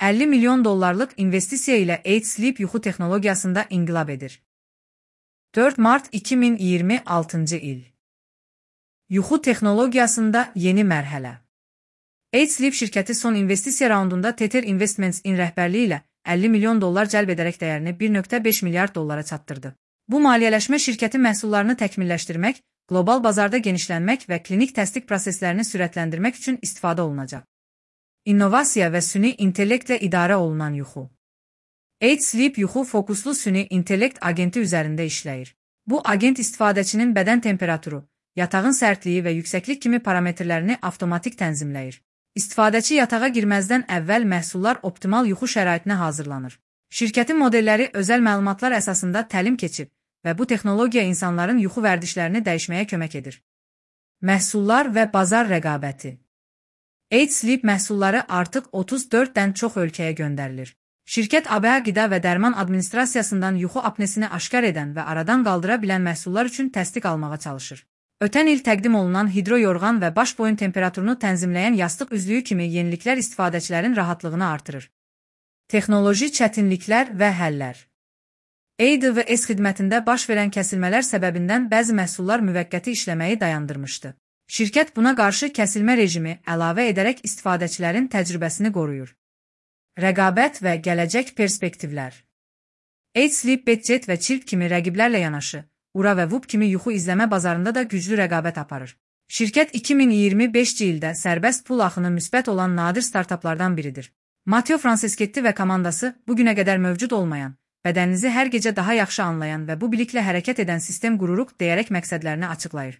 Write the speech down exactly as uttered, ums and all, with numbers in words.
əlli milyon dollarlıq investisiya ilə eight Sleep yuxu texnologiyasında inqilab edir. dörd mart iki min iyirmi altıncı il. Yuxu texnologiyasında yeni mərhələ. eight Sleep şirkəti son investisiya raundunda Tether Investments'in rəhbərliyi ilə əlli milyon dollar cəlb edərək dəyərini bir nöqtə beş milyard dollara çatdırdı. Bu maliyyələşmə şirkətin məhsullarını təkmilləşdirmək, qlobal bazarda genişlənmək və klinik təsdiq proseslərini sürətləndirmək üçün istifadə olunacaq. İnnovasiya və süni intellektlə idarə olunan yuxu. eight Sleep yuxu fokuslu süni intellekt agenti üzərində işləyir. Bu agent istifadəçinin bədən temperaturu, yatağın sərtliyi və yüksəklik kimi parametrlərini avtomatik tənzimləyir. İstifadəçi yatağa girməzdən əvvəl məhsullar optimal yuxu şəraitinə hazırlanır. Şirkətin modelləri özəl məlumatlar əsasında təlim keçib və bu texnologiya insanların yuxu vərdişlərini dəyişməyə kömək edir. Məhsullar və bazar rəqabəti. eight Sleep məhsulları artıq otuz dörddən çox ölkəyə göndərilir. Şirkət A B A Qida və Dərman Administrasiyasından yuxu apnesini aşkar edən və aradan qaldıra bilən məhsullar üçün təsdiq almağa çalışır. Ötən il təqdim olunan hidroyorğan və baş boyun temperaturunu tənzimləyən yastıq üzlüyü kimi yeniliklər istifadəçilərin rahatlığını artırır. Texnoloji çətinliklər və həllər. A D V S xidmətində baş verən kəsilmələr səbəbindən bəzi məhsullar müvəqqəti işləməyi dayandırmışdı. Şirkət buna qarşı kəsilmə rejimi əlavə edərək istifadəçilərin təcrübəsini qoruyur. Rəqabət və gələcək perspektivlər. eight Sleep Bedjet və Chirp kimi rəqiblərlə yanaşı, Ura və Whoop kimi yuxu izləmə bazarında da güclü rəqabət aparır. Şirkət iki min iyirmi beşinci ildə sərbəst pul axını müsbət olan nadir startaplardan biridir. Matteo Franceschetti və komandası bugünə qədər mövcud olmayan, bədəninizi hər gecə daha yaxşı anlayan və bu biliklə hərəkət edən sistem qururuq deyərək məqsədlərini açıqlayır.